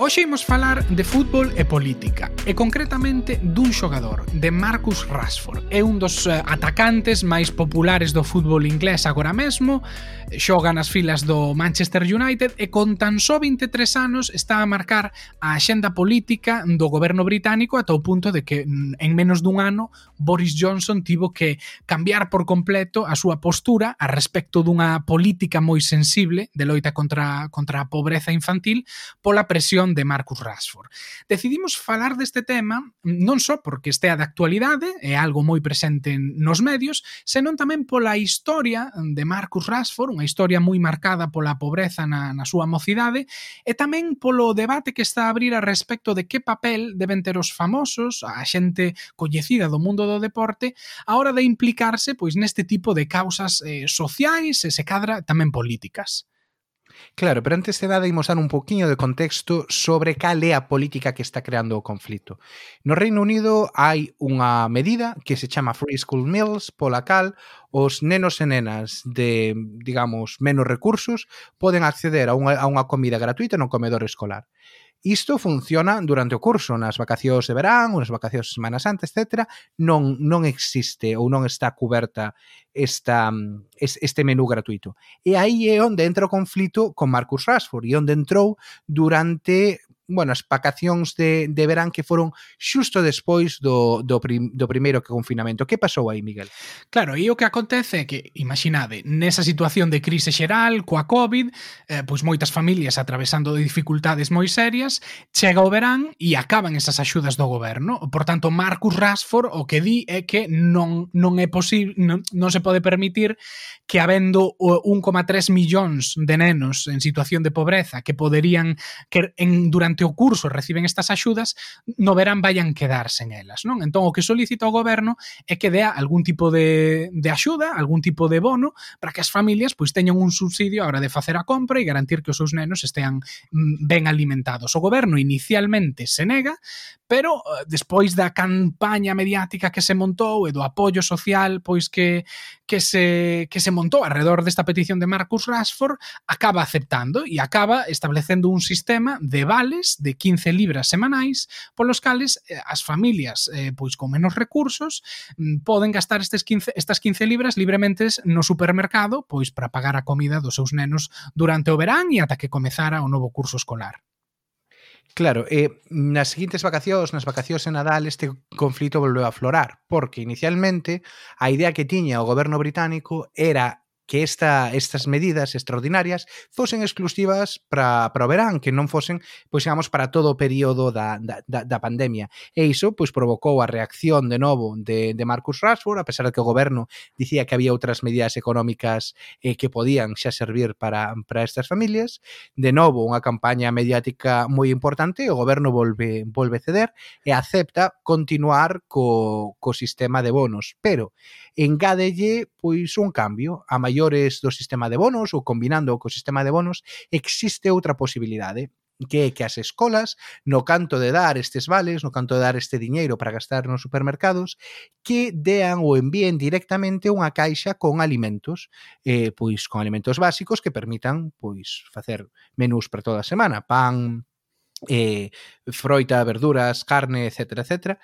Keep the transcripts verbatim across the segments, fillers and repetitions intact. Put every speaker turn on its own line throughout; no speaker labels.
Hoxe imos falar de fútbol e política, e concretamente dun xogador, de Marcus Rashford. É un dos atacantes máis populares do fútbol inglés agora mesmo, xoga nas filas do Manchester United e con tan só vinte e tres anos está a marcar a axenda política do goberno británico ata o punto de que en menos dun ano Boris Johnson tivo que cambiar por completo a súa postura a respecto dunha política moi sensible de loita contra, contra a pobreza infantil pola presión de Marcus Rashford. Decidimos falar deste tema non só porque estea de actualidade, é algo moi presente nos medios, senón tamén pola historia de Marcus Rashford, unha historia moi marcada pola pobreza na, na súa mocidade, e tamén polo debate que está a abrir a respecto de que papel deben ter os famosos, a xente coñecida do mundo do deporte, a hora de implicarse pois neste tipo de causas eh, sociais e se cadra tamén políticas.
Claro, pero antes de nada imos dar un poquinho de contexto sobre cal é a política que está creando o conflito. No Reino Unido hai unha medida que se chama Free School Meals, pola cal os nenos e nenas de, digamos, menos recursos poden acceder a unha, a unha comida gratuita no comedor escolar. Isto funciona durante o curso, nas vacacións de verán, nas vacacións de Semana Santa, etcétera. Non, non existe ou non está cuberta esta, este menú gratuito. E aí é onde entra o conflito con Marcus Rashford e onde entrou durante, bueno, as vacacións de, de verán que foron xusto despois do, do, prim, do primeiro confinamento. Que pasou aí, Miguel?
Claro, e o que acontece é que, imaginade, nesa situación de crise xeral, coa COVID, eh, pois moitas familias atravesando dificultades moi serias, chega o verán e acaban esas axudas do goberno. Por tanto, Marcus Rashford o que di é que non, non é posible, non, non se pode permitir que habendo un coma tres millóns de nenos en situación de pobreza que poderían, que en, durante o curso reciben estas axudas, no verán vayan quedar sen elas, non? Entón, o que solicita o goberno é que dea algún tipo de, de axuda, algún tipo de bono, para que as familias pois teñan un subsidio a hora de facer a compra e garantir que os seus nenos estean ben alimentados. O goberno inicialmente se nega, pero despois da campaña mediática que se montou e do apoio social pois que, que, se, que se montou alrededor desta petición de Marcus Rashford, acaba aceptando e acaba establecendo un sistema de vales de quince libras semanais polos cales eh, as familias eh, pois con menos recursos mm, poden gastar estes quince, estas quince libras libremente no supermercado pois para pagar a comida dos seus nenos durante o verán e ata que comezara o novo curso escolar.
Claro, eh, nas seguintes vacacións, nas vacacións de Nadal, este conflito volveu a aflorar, porque inicialmente a idea que tiña o goberno británico era que esta, estas medidas extraordinarias fosen exclusivas para, para o verán, que non fosen, pois, digamos, para todo o período da, da, da pandemia. E iso, pois, provocou a reacción de novo de, de Marcus Rashford, a pesar de que o goberno dicía que había outras medidas económicas eh, que podían xa servir para, para estas familias. De novo, unha campaña mediática moi importante, o goberno volve, volve ceder e acepta continuar co, co sistema de bonos, pero engádelle, pois, un cambio. A maior do sistema de bonos ou combinando co sistema de bonos existe outra posibilidade, que é que as escolas, no canto de dar estes vales, no canto de dar este diñeiro para gastar nos supermercados, que dean ou envíen directamente unha caixa con alimentos, eh, pois con alimentos básicos que permitan pois facer menús para toda a semana, pan, eh, froita, verduras, carne, etcétera, etcétera.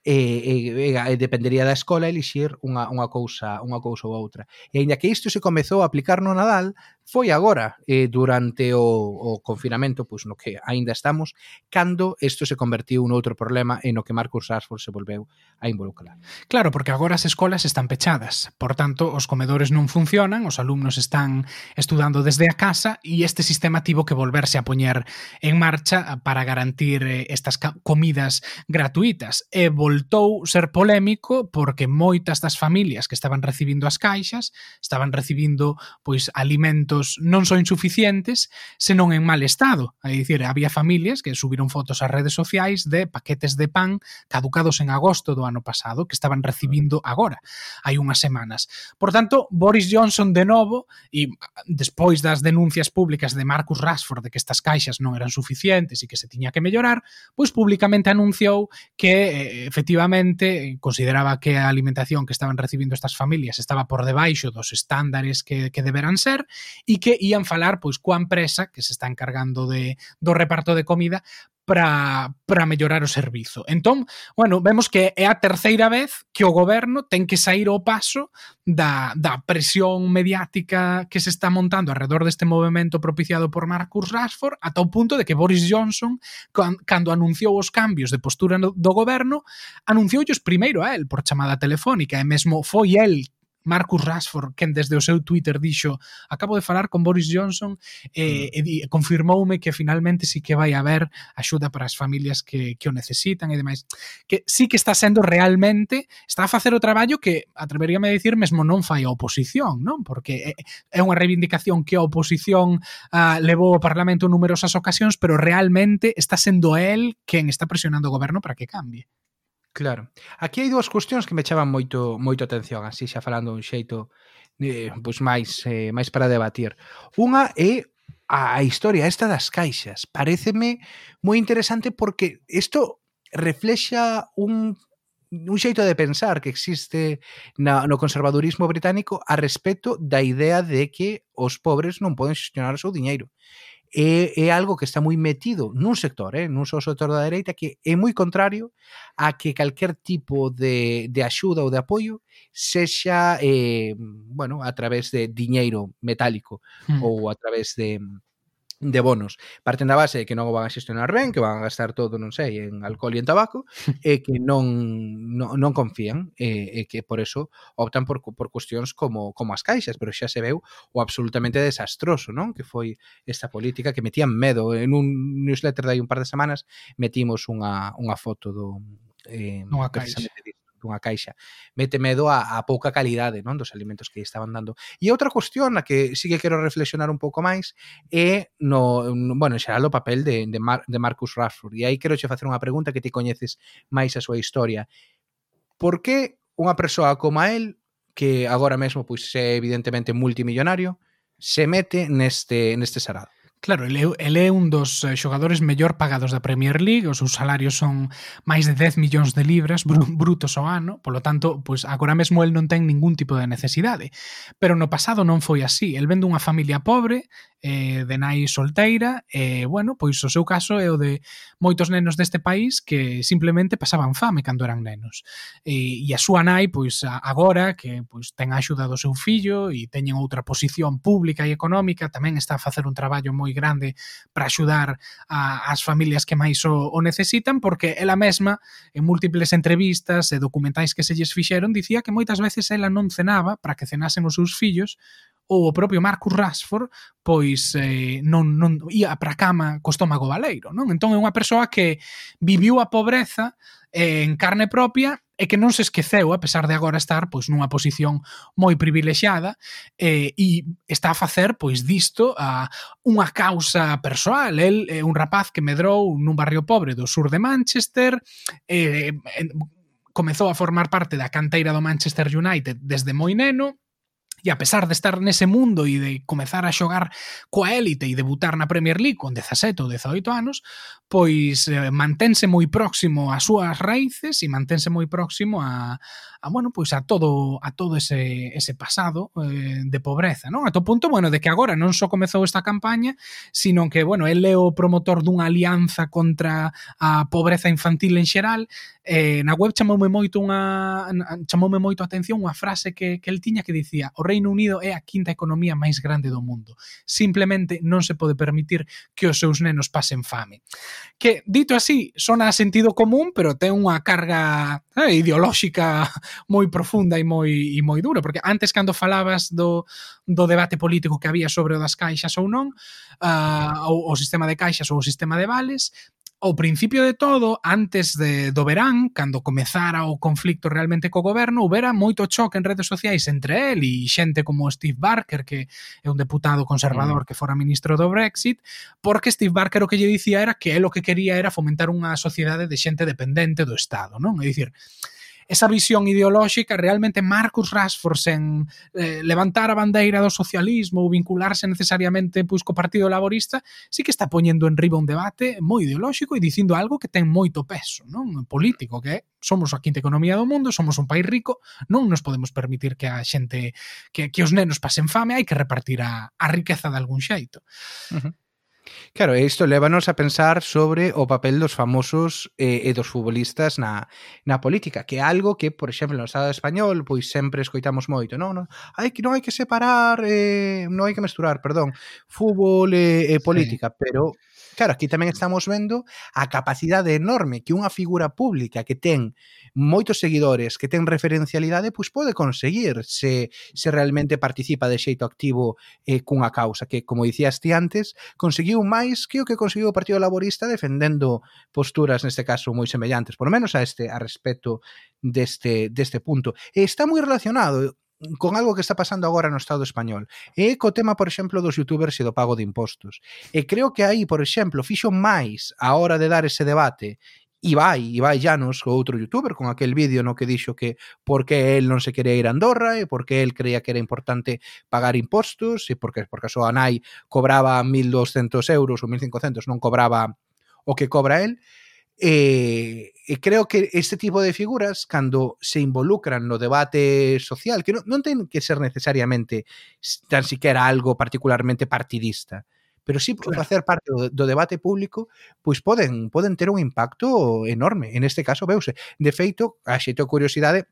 E, e, e dependería da escola elixir unha, unha cousa unha cousa ou outra. E aínda que isto se comezou a aplicar no Nadal, foi agora, eh, durante o, o confinamento, pois no que aínda estamos, cando isto se convertiu noutro problema e no que Marcus Rashford se volveu a involucrar.
Claro, porque agora as escolas están pechadas, por tanto, os comedores non funcionan, os alumnos están estudando desde a casa e este sistema tivo que volverse a poñer en marcha para garantir estas comidas gratuitas e voltou ser polémico porque moitas das familias que estaban recibindo as caixas estaban recibindo pois alimentos non só insuficientes, senón en mal estado. É dicir, había familias que subiron fotos ás redes sociais de paquetes de pan caducados en agosto do ano pasado que estaban recibindo agora, hai unhas semanas. Por tanto, Boris Johnson de novo, e despois das denuncias públicas de Marcus Rashford de que estas caixas non eran suficientes e que se tiña que mellorar, pois públicamente anunciou que efectivamente consideraba que a alimentación que estaban recibindo estas familias estaba por debaixo dos estándares que, que deberan ser e que ían falar pois coa empresa que se está encargando de, do reparto de comida para, para mellorar o servizo. Entón, bueno, vemos que é a terceira vez que o goberno ten que sair ao paso da, da presión mediática que se está montando alrededor deste movimento propiciado por Marcus Rashford, ata o punto de que Boris Johnson, cando anunciou os cambios de postura do goberno, anuncioullos primeiro a él por chamada telefónica, e mesmo foi el, Marcus Rashford, quen desde o seu Twitter dixo: acabo de falar con Boris Johnson e, e, e confirmoume que finalmente sí que vai haber axuda para as familias que, que o necesitan e demais. Que sí que está sendo realmente, está a facer o traballo que, atreveríame a dicir, mesmo non fai a oposición, non? Porque é, é unha reivindicación que a oposición uh, levou ao Parlamento en numerosas ocasións, pero realmente está sendo el quen está presionando o goberno para que cambie.
Claro. Aquí hai dúas cuestións que me chaman moito moito atención, así xa falando un xeito eh, pois máis eh, máis para debatir. Unha é a historia esta das caixas. Paréceme moi interesante porque isto reflexa un un xeito de pensar que existe na, no conservadurismo británico a respecto da idea de que os pobres non poden xestionar o seu diñeiro. É, é algo que está moi metido nun sector, eh, nun só sector da dereita, que é moi contrario a que calquer tipo de, de axuda ou de apoio sexa, eh, bueno, a través de diñeiro metálico mm. ou a través de de bonos. Parten da base de que non o van a xestionar ben, que van a gastar todo, non sei, en alcohol e en tabaco, e que non, non, non confían, e, e que por eso optan por, por cuestións como, como as caixas, pero xa se veu o absolutamente desastroso, non? Que foi esta política que metían medo. En un newsletter de hai un par de semanas metimos unha, unha foto do... Eh,
unha caixa.
Dunha caixa. Mete medo a, a pouca calidade, non, dos alimentos que estaban dando. E outra cuestión na que sí que quero reflexionar un pouco máis é no, no bueno, en xeral o papel de, de, Mar, de Marcus Rashford. E aí quero che facer unha pregunta que ti coñeces máis a súa historia. Por que unha persoa como a él, que agora mesmo pois é evidentemente multimillonario, se mete neste, neste sarado?
Claro, ele, ele é un dos xogadores mellor pagados da Premier League, os seus salarios son máis de dez millóns de libras brutos ao ano, polo tanto, pois agora mesmo el non ten ningún tipo de necesidade. Pero no pasado non foi así. El ven dunha familia pobre, eh, de nai solteira, e, bueno, pois o seu caso é o de moitos nenos deste país que simplemente pasaban fame cando eran nenos. E, e a súa nai, pois agora, que pois ten a axuda do seu fillo e teñen outra posición pública e económica, tamén está a facer un traballo moi grande para axudar a, as familias que máis o, o necesitan, porque ela mesma, en múltiples entrevistas e documentais que se lles fixeron, dicía que moitas veces ela non cenaba para que cenasen os seus fillos, ou o propio Marcus Rashford pois eh, non, non ia para a cama co estómago baleiro, non? Entón é unha persoa que viviu a pobreza eh, en carne propia e que non se esqueceu, a pesar de agora estar pois nunha posición moi privilexiada, eh, e está a facer pois disto a unha causa persoal. El é un rapaz que medrou nun barrio pobre do sur de Manchester, eh, comezou a formar parte da canteira do Manchester United desde moi neno, e a pesar de estar nese mundo e de comezar a xogar coa élite e debutar na Premier League con dezasete ou dezaoito anos, pois eh, mantense moi próximo ás súas raíces e mantense moi próximo a, a bueno, pois a todo a todo ese ese pasado eh, de pobreza, non? A to punto, bueno, de que agora non só comezou esta campaña, sino que, bueno, el é o promotor dunha alianza contra a pobreza infantil en xeral. Eh, na web chamoume moito unha chamoume moito a atención unha frase que, que el tiña que dicía: o Reino Unido é a quinta economía máis grande do mundo, simplemente non se pode permitir que os seus nenos pasen fame. Que, dito así, sona a sentido común, pero ten unha carga eh, ideolóxica moi profunda e moi, e moi dura, porque antes, cando falabas do, do debate político que había sobre o das caixas ou non, uh, o, o sistema de caixas ou o sistema de vales, ao principio de todo, antes de, do verán, cando comezara o conflicto realmente co goberno, houbera moito choque en redes sociais entre el e xente como Steve Barker, que é un deputado conservador mm. que fora ministro do Brexit, porque Steve Barker o que lle dicía era que él o que quería era fomentar unha sociedade de xente dependente do Estado, non? É dicir, esa visión ideolóxica, realmente Marcus Rashford sen eh, levantar a bandeira do socialismo ou vincularse necesariamente pois, co Partido Laborista, sí que está poñendo en riba un debate moi ideolóxico e dicindo algo que ten moito peso, non? Político, que é somos a quinta economía do mundo, somos un país rico, non nos podemos permitir que a xente, que, que os nenos pasen fame, hai que repartir a, a riqueza de algún xeito.
Uh-huh. Claro, isto lévanos a pensar sobre o papel dos famosos eh, e dos futbolistas na, na política, que é algo que, por exemplo, no Estado español, pois sempre escoitamos moito, non, non, hai que non hai que separar, eh, non hai que mesturar, perdón, fútbol e, e política, sí. Pero claro, aquí tamén estamos vendo a capacidade enorme que unha figura pública que ten moitos seguidores, que ten referencialidade, pois pode conseguir se, se realmente participa de xeito activo eh, cunha causa, que, como dicías ti antes, conseguiu máis que o que conseguiu o Partido Laborista defendendo posturas, neste caso, moi semellantes, por lo menos a este a respecto deste, deste punto. E está moi relacionado con algo que está pasando agora no Estado español. E co tema, por exemplo, dos youtubers e do pago de impostos. E creo que aí, por exemplo, fixo máis a hora de dar ese debate Ibai, Ibai Llanos, o outro youtuber, con aquel vídeo no que dixo que por que el non se quería ir a Andorra e por que el creía que era importante pagar impostos e porque, porque a súa nai cobraba mil doscentos euros ou mil cincocentos, non cobraba o que cobra el. E, e creo que este tipo de figuras, cando se involucran no debate social, que non, non ten que ser necesariamente tan siquiera algo particularmente partidista, pero sí claro, facer parte do, do debate público, pois poden, poden ter un impacto enorme. En este caso, veuse. De feito, a xeito curiosidade,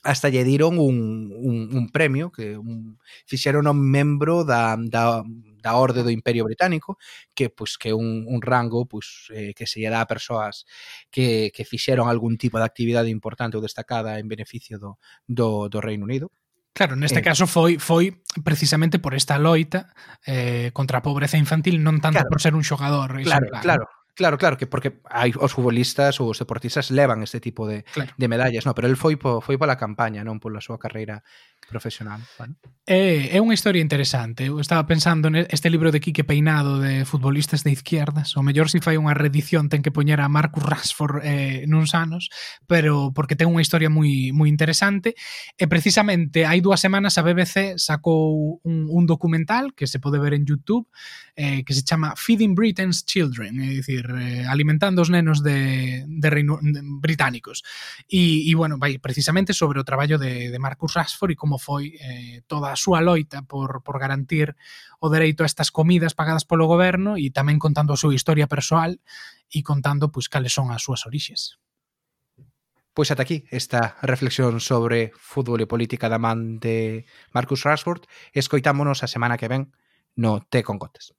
hasta lle diron un, un, un premio que un, fixeron un membro da, da, da Orde do Imperio Británico, que pois que un, un rango pois, eh, que se lle dá a persoas que, que fixeron algún tipo de actividade importante ou destacada en beneficio do, do, do Reino Unido.
Claro, neste eh, caso foi foi precisamente por esta loita eh, contra a pobreza infantil, non tanto claro, por ser un xogador
claro,
exemplar.
Claro, claro, claro, que porque hai os futbolistas ou os deportistas levan este tipo de, claro, de medallas, no, pero el foi po, foi pola campaña, non pola súa carreira profesional. Bueno.
É, é unha historia interesante. Eu estaba pensando neste libro de Quique Peinado de futbolistas de izquierdas. O mellor se fai unha reedición ten que poñer a Marcus Rashford eh, nuns anos, pero porque ten unha historia moi moi interesante. E precisamente hai dúas semanas a B B C sacou un, un documental que se pode ver en YouTube eh, que se chama Feeding Britain's Children, é dicir, eh, alimentando os nenos de, de reino de, británicos. E, e bueno, vai precisamente sobre o traballo de, de Marcus Rashford e como foi eh, toda a súa loita por, por garantir o dereito a estas comidas pagadas polo goberno e tamén contando a súa historia persoal e contando pois cales son as súas orixes.
Pois ata aquí esta reflexión sobre fútbol e política da man de Marcus Rashford. Escoitámonos a semana que ven no Té con Gotas.